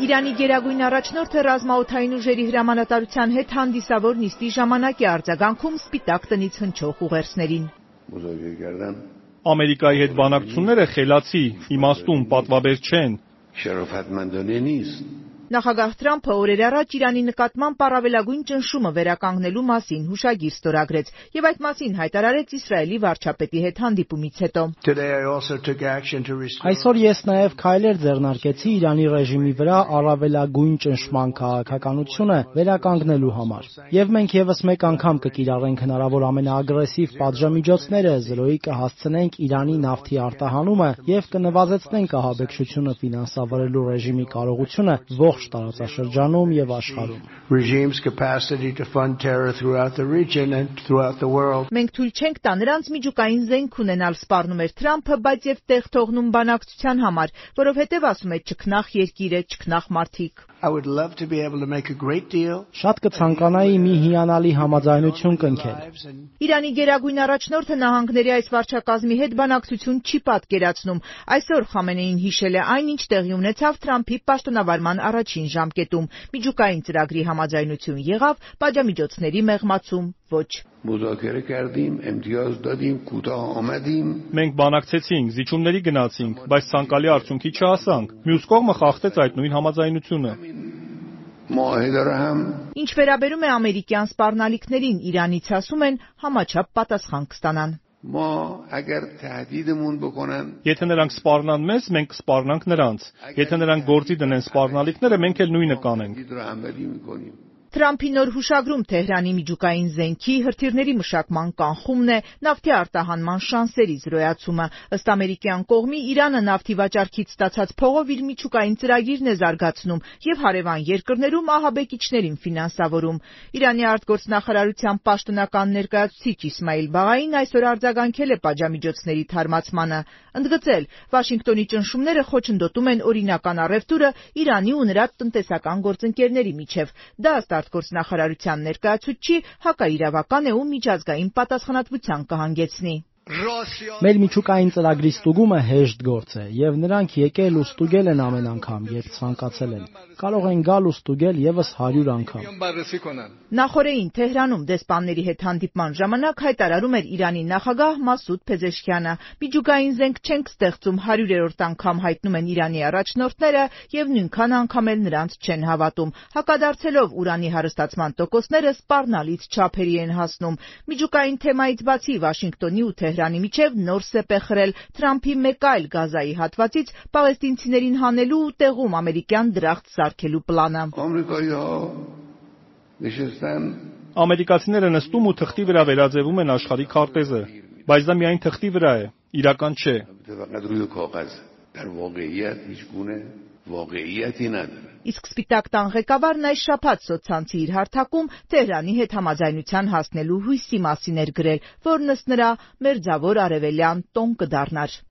Իրանի գերագույն առաջնորդը ռազմաօդային ուժերի հրամանատարության հետ հանդիսավոր նիստի ժամանակ է արձագանքում Սպիտակ տնից հնչող ուղերձներին։ Ամերիկայի հետ բանակցությունները խելացի, իմաստուն, պատվաբեր չեն։ Նախագահ Թրամփը օրեր առաջ Իրանի նկատմամբ առավելագույն ճնշումը վերականգնելու մասին հուշագիր ստորագրեց եւ այդ մասին հայտարարեց Իսրայելի վարչապետի հետ հանդիպումից հետո։ Այսօր ես նաեւ քայլեր ձեռնարկեցի Իրանի ռեժիմի վրա առավելագույն ճնշման քաղաքականությունը վերականգնելու համար։ Եվ մենք եւս մեկ անգամ կկիրառենք հնարավոր ամենաագրեսիվ պատժամիջոցները, զրոյի կհասցնենք Իրանի նավթի արտահանումը եւ կնվազեցնենք ահաբեկչությունը ֆինանսավորելու ռեժիմի կարողությունը ողջ տարածաշրջանում եւ աշխարհում։ Մենք թույլ չենք տա նրանց միջուկային զենք ունենալ, սպառնում էր Թրամփը, բայց եւ տեղ թողնում բանակցության համար, որովհետեւ ասում է չքնախ երկիրը, չքնախ մարդիկ։ Շատ կցանկանայի մի հիանալի համաձայնություն կնքել։ Իրանի գերագույն առաջնորդը նահանգների այս վարչակազմի հետ բանակցություն չի պատկերացնում։ Այսօր Խամենեին հիշել է այն, ինչ տեղի ունեցավ Թրամփի պաշտոնավարման առաջին ժամկետում։ Միջուկային ծրագրի համաձայնություն եղավ, պատժամիջոցների մեղմացում՝ ոչ։ Մենք բանակցեցինք, զիջումների գնացինք, բայց ցանկալի արդյունքի չհասանք։ Մյուս կողմը խախտեց այդ նույն համաձայնությունը։ Ինչ վերաբերում է ամերիկյան սպառնալիքներին, Իրանից ասում են համաչափ պատասխան կստանան։ Եթե նրանք սպառնան մեզ, մենք կսպառնանք նրանց։ Եթե նրանք գործի դնեն սպառնալիքները, մենք էլ նույնը կանենք։ Թրամփի նոր հուշագրում Թեհրանի միջուկային զենքի, հրթիռների մշակման կանխումն է, նավթի արտահանման շանսերի զրոյացումը։ Ըստ ամերիկյան կողմի, Իրանը նավթի վաճառքից ստացած փողով իր միջուկային ծրագիրն է զարգացնում եւ հարևան երկրներում ահաբեկիչներին ֆինանսավորում։ Իրանի արտգործնախարարության պաշտոնական ներկայացուցիչ Իսմայիլ Բաղային այսօր արձագանքել է պատժամիջոցների թարմացմանը, ընդգծել, Վաշինգտոնի ճնշումները խոչընդոտում են օրինական առևտուրը Իրանի ու նրա տնտեսական գործընկերների միջև։ Դա ըստ արտգործնախարարության ներկայացուցչի հակաիրավական է ու միջազգային պատասխանատվության կհանգեցնի։ Մեր միջուկային ծրագրի ստուգումը հեշտ գործ է, եւ նրանք եկել ու ստուգել են ամեն անգամ, երբ ցանկացել են։ Կարող են գալ ու ստուգել եւս 100 անգամ։ Նախորդին Թեհրանում դեսպանների հետ հանդիպման ժամանակ հայտարարում էր Իրանի նախագահ Մասուդ Փեզեշքյանը. «Միջուկային զենք չենք ստեղծում, 100-րդ անգամ հայտնում են Իրանի առաջնորդները եւ նույնքան անգամ էլ նրանց չեն հավատում»։ Հակադարձելով ուրանի հարստացման տոկոսները սպառնալից չափերի են հասնում։ Միջուկային թեմայից բացի Վաշինգտոնի ու Թեհրանի միջև նոր սեպ է խրել Թրամփի մեկ այլ Գազայի հատվածից պաղեստինցիներին հանելու ու տեղում ամերիկյան դրախտ սարքելու պլանը։ Ամերիկացիները նստում ու թղթի վրա վերաձևում են աշխարհի քարտեզը, բայց դա միայն թղթի վրա է, իրական չէ։ Իսկ Սպիտակ տան ղեկավարն այս շաբաթ սոցցանցի իր հարթակում Թեհրանի հետ համաձայնության հասնելու հույսի մասին էր գրել, որն ըստ նրա մերձավոր արևելյան տոն կդառնար։